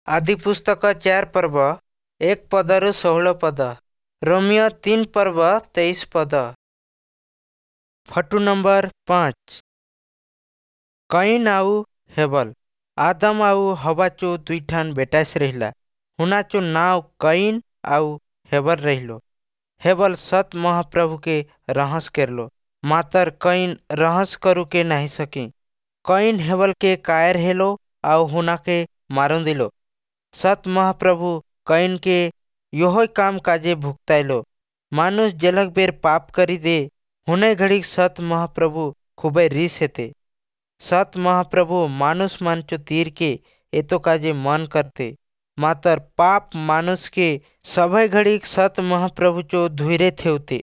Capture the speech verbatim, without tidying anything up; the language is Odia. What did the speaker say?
ଆଦିପୁସ୍ତକ ଚାରି ପର୍ବ ଏକ ପଦରୁ ଷୋହଳ ପଦ। ରୋମୀୟ ତିନି ପର୍ବ ତେଇଶ ପଦ। ଫଟୁ ନମ୍ବର ପାଞ୍ଚ। କଇନ୍ ଆଉ ହେବଲ। ଆଦମ ଆଉ ହବାଚୋ ଦୁଇଠାନ୍ ବେଟାସ୍ ରହିଲା। ହୁନାଚୋ ନାଁव କଇନ୍ ଆଉ ହେବଲ ରହିलो। ହେବଲ ସତ୍ ମହାପ୍ରଭୁକେ ରହସ୍ କେରଲୋ, ମାତର କଇନ୍ ରହସ୍ କରୁକେ ନାଇଁ ସକି। କଇନ୍ ହେବଲକେ କାଏର ହେଲୋ ଆଉ ହୁନାକେ ମାରୁଁଦିଲୋ। ସତ୍ ମହାପ୍ରଭୁ କଇନ୍‌କେ ୟୋହୋ କାମ କାଜେ ଭୁଗତାଇଲୋ। ମାनुଷ ଯେଲକ ବେର ପାପ କରିଦେ, ହୁନେ ଘଡ଼ିକ ସତ୍ ମହାପ୍ରଭୁ ଖୁବଇ ରିସ୍ ହେତେ। ସତ୍ ମହାପ୍ରଭୁ ମାनुଷ ମାନଚୋ तीरके एतो काजे मन करते, मातर पाप मानुषके सभय घड़ीक सत महाप्रभुचो धुइरे थेवते।